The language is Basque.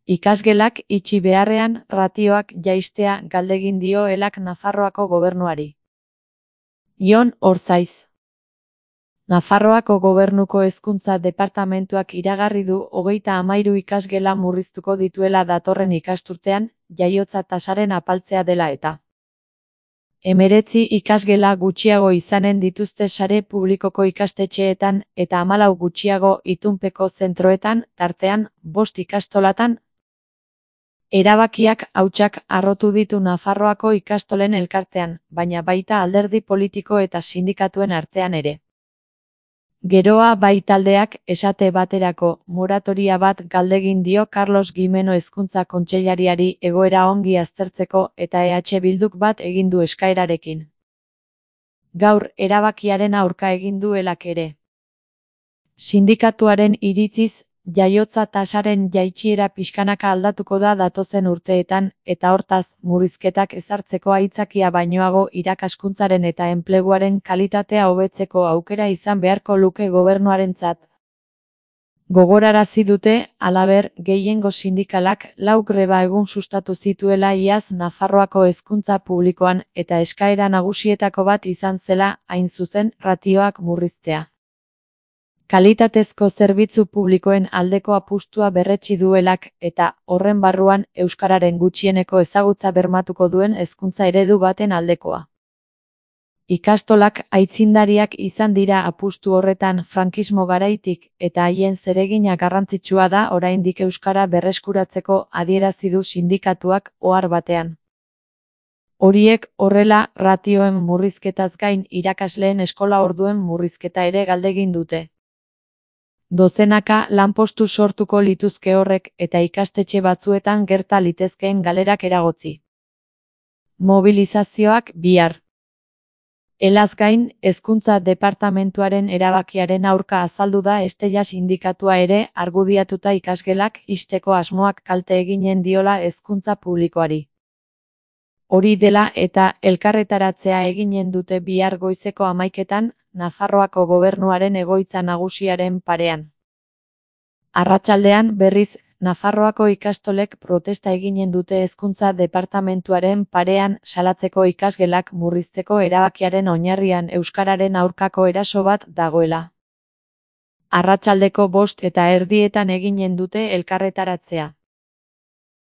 Ikasgelak itxi beharrean ratioak jaistea galdegin dio Elak Nafarroako gobernuari. Jon Orzaiz. Nafarroako gobernuko hezkuntza departamentuak iragarri du 33 ikasgela murriztuko dituela datorren ikasturtean, jaiotza tasaren apaltzea dela eta. 19 ikasgela gutxiago izanen dituzte sare publikoko ikastetxeetan eta 14 gutxiago itunpeko zentroetan, tartean, 5 ikastolatan. Erabakiak hautsak harrotu ditu Nafarroako ikastolen elkartean, baina baita alderdi politiko eta sindikatuen artean ere. Geroa bai taldeak, esate baterako, moratoria bat galdegin dio Carlos Gimeno Hezkuntza Kontseilariari egoera ongi aztertzeko eta EH Bilduk bat egin du eskaerarekin. Gaur erabakiaren aurka egin du Elak ere. Sindikatuaren iritziz, jaiotza tasaren jaitsiera pixkanaka aldatuko da datozen urteetan, eta hortaz, murrizketak ezartzeko aitzakia bainoago irakaskuntzaren eta enpleguaren kalitatea hobetzeko aukera izan beharko luke gobernuarentzat. Gogorarazi dute, halaber, gehiengo sindikalak 4 greba egun sustatu zituela iaz Nafarroako hezkuntza publikoan eta eskaera nagusietako bat izan zela, hain zuzen, ratioak murriztea. Kalitatezko zerbitzu publikoen aldeko apustua berretsi du Elak eta, horren barruan, euskararen gutxieneko ezagutza bermatuko duen hezkuntza eredu baten aldekoa. Ikastolak aitzindariak izan dira apustu horretan frankismo garaitik eta haien zeregina garrantzitsua da oraindik euskara berreskuratzeko adierazi du sindikatuak ohar batean. Horiek horrela, ratioen murrizketaz gain irakasleen eskola orduen murrizketa ere galdegin dute. Dozenaka lanpostu sortuko lituzke horrek eta ikastetxe batzuetan gerta litezkeen galerak eragotzi. Mobilizazioak bihar. Elaz gain, hezkuntza departamentuaren erabakiaren aurka azaldu da Estella sindikatua ere argudiatuta ikasgelak ixteko asmoak kalte eginen diola hezkuntza publikoari. Hori dela eta elkarretaratzea eginen dute bihar goizeko 11etan, Nafarroako gobernuaren egoitza nagusiaren parean. Arratsaldean, berriz, Nafarroako ikastolek protesta eginen dute hezkuntza departamentuaren parean salatzeko ikasgelak murrizteko erabakiaren oinarrian euskararen aurkako eraso bat dagoela. Arratsaldeko 5:30 eginen dute elkarretaratzea.